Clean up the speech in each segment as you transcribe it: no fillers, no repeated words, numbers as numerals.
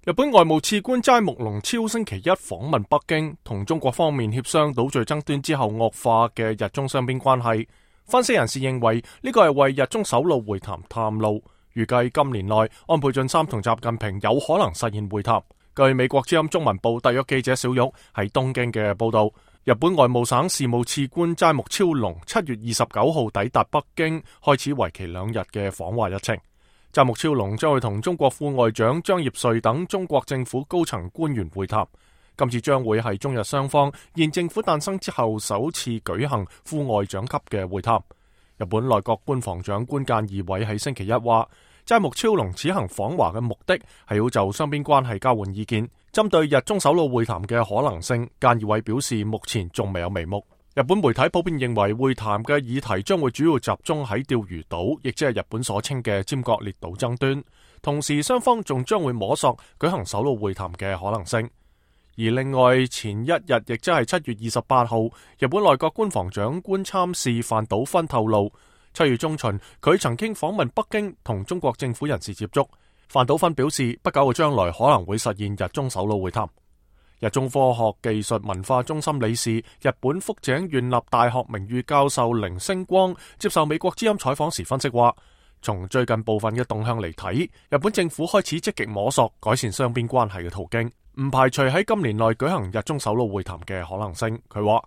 日本外務次官齋木龍超星期一訪問北京，同中國方面協商島嶼爭端之後惡化嘅日中雙邊關係。分析人士認為呢個係為日中首腦會談探路，預計今年內安倍晉三同習近平有可能實現會談。據美國之音中文報特約記者小玉喺東京嘅報道，日本外務省事務次官齋木超龍7月29號抵達北京，開始為期2日嘅訪華日程。齋木超龍將會同中國副外長張業遂等中國政府高層官員會談。今次將會係中日雙方現政府誕生之後首次舉行副外長級嘅會談。日本內閣官房長官菅義偉喺星期一話，齋木超龍此行訪華嘅目的係要就雙邊關係交換意見。針對日中首腦會談嘅可能性，菅義偉表示目前仲未有眉目。日本媒體普遍認為會談嘅議題將會主要集中喺釣魚島，亦即係日本所稱嘅尖閣列島爭端。同時雙方仲將會摸索舉行首腦會談嘅可能性。而另外前一日，亦即係7月28號，日本內閣官房長官參事飯島勳透露，7月中旬佢曾經訪問北京同中國政府人士接觸。飯島勳表示，不久嘅將來可能會實現日中首腦會談。日中科學技術文化中心理事、日本福井縣立大學名譽教授鈴星光接受美國之音採訪時分析話，從最近部分嘅動向嚟睇，日本政府開始積極摸索改善雙邊關係嘅途徑，唔排除喺今年內舉行日中首腦會談嘅可能性。佢話：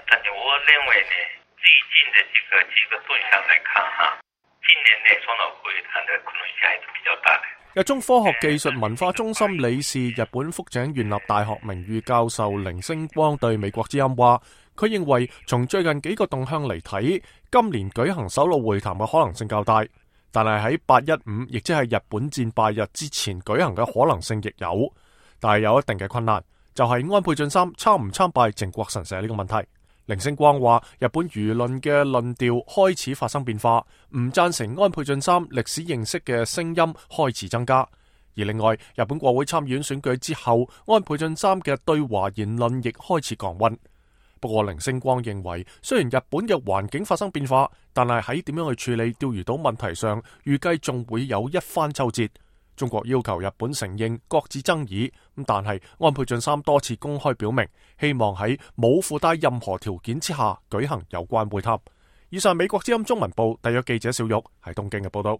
但是我認為呢，最近的幾個動向來看哈，今年內雙腦會談的可能性還是比較大的。日中科學技術文化中心理事、日本福井縣立大學名譽教授鈴星光對美國之音話，佢認為從最近幾個動向嚟睇，今年舉行首腦會談嘅可能性較大，但係喺815，亦即係日本戰敗日之前舉行嘅可能性亦有，但係有一定嘅困難，就係安倍晉三參唔參拜靖國神社呢個問題。鈴星光話，日本輿論嘅論調開始發生變化，唔贊成安倍晉三歷史認識嘅聲音開始增加。而另外，日本國會參議院選舉之後，安倍晉三嘅對華言論亦開始降溫。不過，鈴星光認為，雖然日本嘅環境發生變化，但係喺點樣去處理釣魚島問題上，預計仲會有一番周折。中國要求日本承認擱置爭議，但係安倍晉三多次公開表明，希望喺冇附帶任何條件之下舉行有關會談。以上美國之音中文報特約記者小玉喺東京嘅報道。